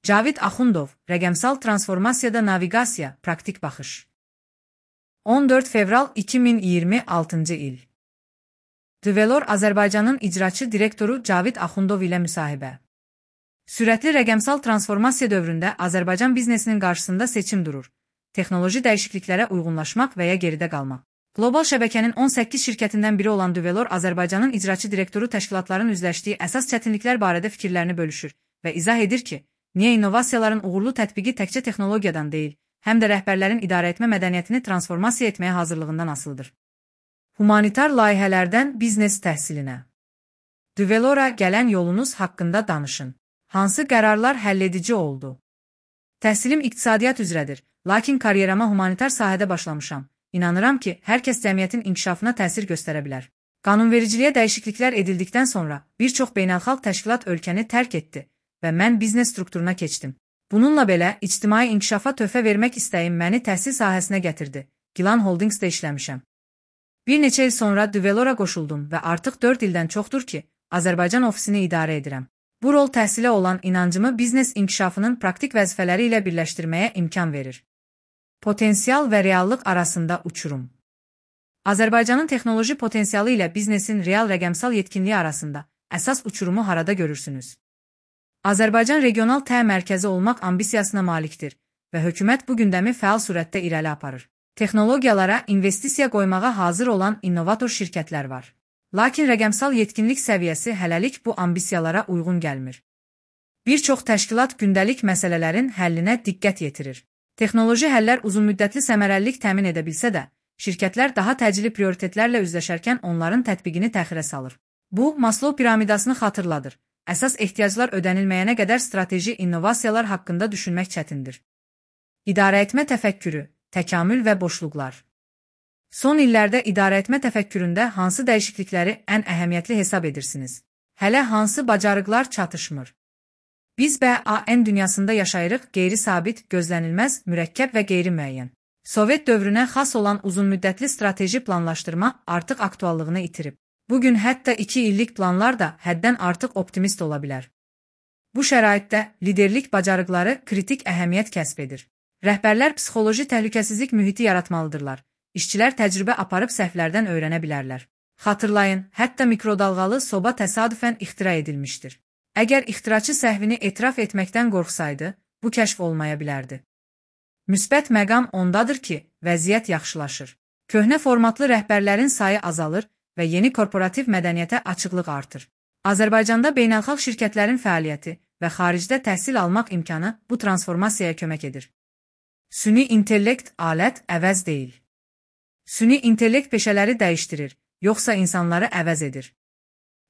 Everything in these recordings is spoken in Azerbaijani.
Cavid Axundov, Rəqəmsal transformasiyada naviqasiya, praktik baxış. 14 fevral 2026 il. Develor Azərbaycanın icraçı direktoru Cavid Axundov ilə müsahibə. Sürətli rəqəmsal transformasiya dövründə Azərbaycan biznesinin qarşısında seçim durur. Texnoloji dəyişikliklərə uyğunlaşmaq və ya geridə qalmaq. Qlobal şəbəkənin 18 şirkətindən biri olan Develor Azərbaycanın icraçı direktoru təşkilatların üzləşdiyi əsas çətinliklər barədə fikirlərini bölüşür və izah edir ki, niyə innovasiyaların uğurlu tətbiqi təkcə texnologiyadan deyil, həm də rəhbərlərin idarəetmə mədəniyyətini transformasiya etməyə hazırlığından asılıdır. Humanitar layihələrdən biznes təhsilinə. Develora gələn yolunuz haqqında danışın. Hansı qərarlar həlledici oldu? Təhsilim iqtisadiyyat üzrədir, lakin karyerama humanitar sahədə başlamışam. İnanıram ki, hər kəs cəmiyyətin inkişafına təsir göstərə bilər. Qanunvericiliyə dəyişikliklər edildikdən sonra bir çox beynəlxalq təşkilat ölkəni tərk etdi və mən biznes strukturuna keçdim. Bununla belə, ictimai inkişafa töhfə vermək istəyim məni təhsil sahəsinə gətirdi. Gilan Holdingsdə işləmişəm. Bir neçə il sonra Develora qoşuldum və artıq 4 ildən çoxdur ki, Azərbaycan ofisini idarə edirəm. Bu rol təhsilə olan inancımı biznes inkişafının praktik vəzifələri ilə birləşdirməyə imkan verir. Potensial və reallıq arasında uçurum. Azərbaycanın texnoloji potensialı ilə biznesin real rəqəmsal yetkinliyi arasında əsas uçurumu harada görürsünüz? Azərbaycan regional mərkəzi olmaq ambisiyasına malikdir və hökumət bu gündəmi fəal surətdə irəli aparır. Texnologiyalara investisiya qoymağa hazır olan innovator şirkətlər var. Lakin rəqəmsal yetkinlik səviyyəsi hələlik bu ambisiyalara uyğun gəlmir. Bir çox təşkilat gündəlik məsələlərin həllinə diqqət yetirir. Texnoloji həllər uzunmüddətli səmərəlilik təmin edə bilsə də, şirkətlər daha təcili prioritetlərlə üzləşərkən onların tətbiqini təxirə salır. Bu, Maslow piramidasını xatırladır. Əsas ehtiyaclar ödənilməyənə qədər strateji innovasiyalar haqqında düşünmək çətindir. İdarəetmə təfəkkürü, təkamül və boşluqlar. Son illərdə idarəetmə təfəkküründə hansı dəyişiklikləri ən əhəmiyyətli hesab edirsiniz? Hələ hansı bacarıqlar çatışmır? Biz BAN dünyasında yaşayırıq, qeyri-sabit, gözlənilməz, mürəkkəb və qeyri-müəyyən. Sovet dövrünə xas olan uzunmüddətli strateji planlaşdırma artıq aktuallığını itirib. Bugün hətta 2 illik planlar da həddən artıq optimist ola bilər. Bu şəraitdə liderlik bacarıqları kritik əhəmiyyət kəsb edir. Rəhbərlər psixoloji təhlükəsizlik mühiti yaratmalıdırlar. İşçilər təcrübə aparıb səhvlərdən öyrənə bilərlər. Xatırlayın, hətta mikrodalğalı soba təsadüfən ixtira edilmişdir. Əgər ixtiraçı səhvini etiraf etməkdən qorxsaydı, bu kəşf olmaya bilərdi. Müsbət məqam ondadır ki, vəziyyət yaxşılaşır. Köhnə formatlı rəhbərlərin sayı azalır və yeni korporativ mədəniyyətə açıqlıq artır. Azərbaycanda beynəlxalq şirkətlərin fəaliyyəti və xaricdə təhsil almaq imkanı bu transformasiyaya kömək edir. Süni intellekt alət əvəz deyil. Süni intellekt peşələri dəyişdirir, yoxsa insanları əvəz edir.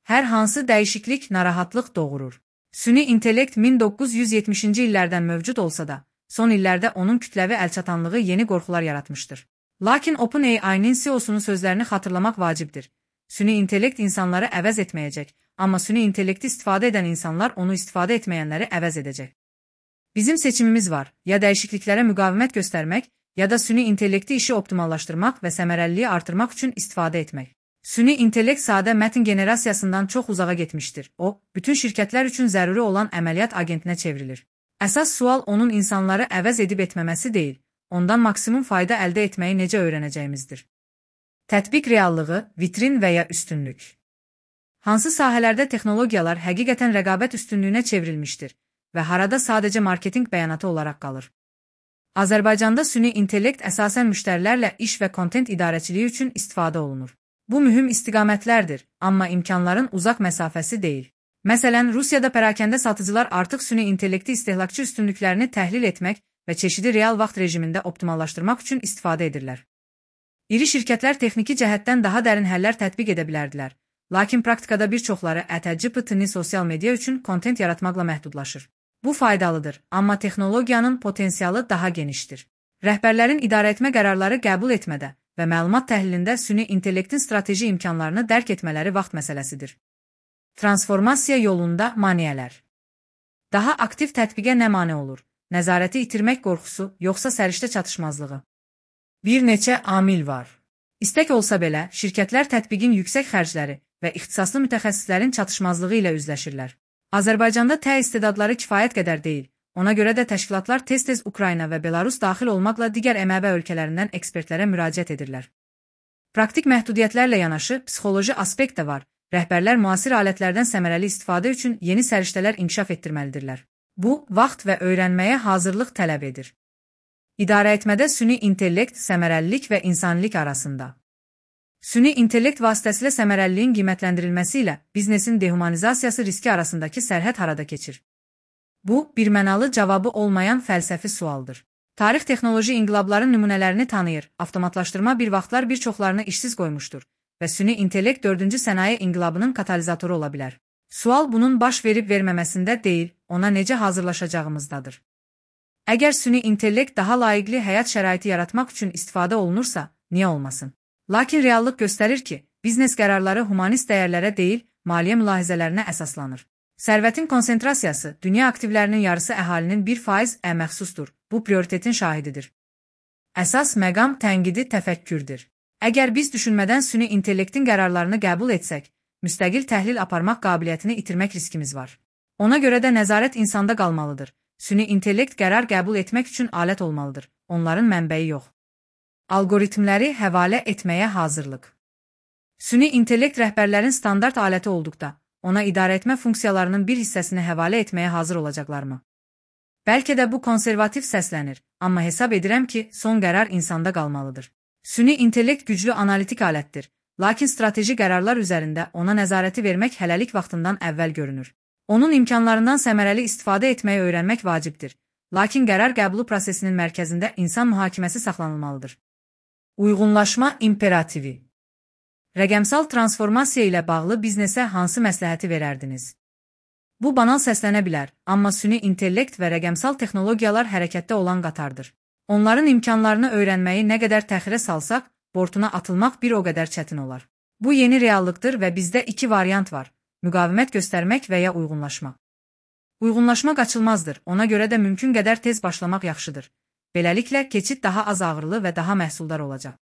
Hər hansı dəyişiklik narahatlıq doğurur. Süni intellekt 1970-ci illərdən mövcud olsa da, son illərdə onun kütləvi əlçatanlığı yeni qorxular yaratmışdır. Lakin OpenAI-nin CEO-sunun sözlərini xatırlamaq vacibdir. Süni intellekt insanları əvəz etməyəcək, amma süni intellekti istifadə edən insanlar onu istifadə etməyənləri əvəz edəcək. Bizim seçimimiz var, ya dəyişikliklərə müqavimət göstərmək, ya da süni intellekti işi optimallaşdırmaq və səmərəliliyi artırmaq üçün istifadə etmək. Süni intellekt sadə mətn generasiyasından çox uzağa getmişdir. O, bütün şirkətlər üçün zəruri olan əməliyyat agentinə çevrilir. Əsas sual onun insanları əvəz edib etməməsi deyil, ondan maksimum fayda əldə etməyi necə öyrənəcəyimizdir. Tətbiq reallığı, vitrin və ya üstünlük. Hansı sahələrdə texnologiyalar həqiqətən rəqabət üstünlüyünə çevrilmişdir və harada sadəcə marketinq bəyanatı olaraq qalır? Azərbaycanda süni intellekt əsasən müştərilərlə iş və kontent idarəçiliyi üçün istifadə olunur. Bu mühüm istiqamətlərdir, amma imkanların uzaq məsafəsi deyil. Məsələn, Rusiyada pərakəndə satıcılar artıq süni intellekti istehlakçı üstünlüklərini təhlil etmək və çeşidi real vaxt rejimində optimallaşdırmaq üçün istifadə edirlər. İri şirkətlər texniki cəhətdən daha dərin həllər tətbiq edə bilərdilər, lakin praktikada bir çoxları GPT-ni sosial media üçün kontent yaratmaqla məhdudlaşır. Bu faydalıdır, amma texnologiyanın potensialı daha genişdir. Rəhbərlərin idarəetmə qərarları qəbul etmədə və məlumat təhlilində süni intellektin strateji imkanlarını dərk etmələri vaxt məsələsidir. Transformasiya yolunda maneələr. Daha aktiv tətbiqə nə mane olur? Nəzarəti itirmək qorxusu, yoxsa səriştə çatışmazlığı? Bir neçə amil var. İstək olsa belə, şirkətlər tətbiqin yüksək xərcləri və ixtisaslı mütəxəssislərin çatışmazlığı ilə üzləşirlər. Azərbaycanda istedadları kifayət qədər deyil, Ona görə də təşkilatlar tez-tez Ukrayna və Belarus daxil olmaqla digər MƏB ölkələrindən ekspertlərə müraciət edirlər. Praktik məhdudiyyətlərlə yanaşı psixoloji aspekt də var. Rəhbərlər müasir alətlərdən səmərəli istifadə üçün yeni səriştələr inkişaf etdirməlidirlər. Bu, vaxt və öyrənməyə hazırlıq tələb edir. İdarəetmədə süni intellekt, səmərəlilik və insanilik arasında. Süni intellekt vasitəsilə səmərəliliyin qiymətləndirilməsi ilə biznesin dehumanizasiyası riski arasındakı sərhəd harada keçir? Bu, birmənalı cavabı olmayan fəlsəfi sualdır. Tarix texnoloji inqilabların nümunələrini tanıyır, avtomatlaşdırma bir vaxtlar bir çoxlarını işsiz qoymuşdur və süni intellekt 4-cü sənaye inqilabının katalizatoru ola bilər. Sual bunun baş verib verməməsində deyil, ona necə hazırlaşacağımızdadır. Əgər süni intellekt daha layiqli həyat şəraiti yaratmaq üçün istifadə olunursa, niyə olmasın? Lakin reallıq göstərir ki, biznes qərarları humanist dəyərlərə deyil, maliyyə mülahizələrinə əsaslanır. Sərvətin konsentrasiyası, dünya aktivlərinin yarısı əhalinin 1% məxsusdur. Bu prioritetin şahididir. Əsas məqam tənqidi təfəkkürdür. Əgər biz düşünmədən süni intellektin qərarlarını qəbul etsək, müstəqil təhlil aparmaq qabiliyyətini itirmək riskimiz var. Ona görə də nəzarət insanda qalmalıdır. Süni intellekt qərar qəbul etmək üçün alət olmalıdır. Onların mənbəyi yox. Algoritmləri həvalə etməyə hazırlıq. Süni intellekt rəhbərlərin standart aləti olduqda, ona idarəetmə funksiyalarının bir hissəsini həvalə etməyə hazır olacaqlarmı? Bəlkə də bu konservativ səslənir, amma hesab edirəm ki, son qərar insanda qalmalıdır. Süni intellekt güclü analitik alətdir, lakin strateji qərarlar üzərində ona nəzarəti vermək hələlik vaxtından əvvəl görünür. Onun imkanlarından səmərəli istifadə etməyi öyrənmək vacibdir, lakin qərar qəbulu prosesinin mərkəzində insan mühakiməsi saxlanılmalıdır. Uyğunlaşma imperativi. Rəqəmsal transformasiya ilə bağlı biznesə hansı məsləhəti verərdiniz? Bu banal səslənə bilər, amma süni intellekt və rəqəmsal texnologiyalar hərəkətdə olan qatardır. Onların imkanlarını öyrənməyi nə qədər təxirə salsaq, bortuna atılmaq bir o qədər çətin olar. Bu yeni reallıqdır və bizdə iki variant var: müqavimət göstərmək və ya uyğunlaşma. Uyğunlaşma qaçılmazdır, ona görə də mümkün qədər tez başlamaq yaxşıdır. Beləliklə, keçid daha az ağırlı və daha məhsuldar olacaq.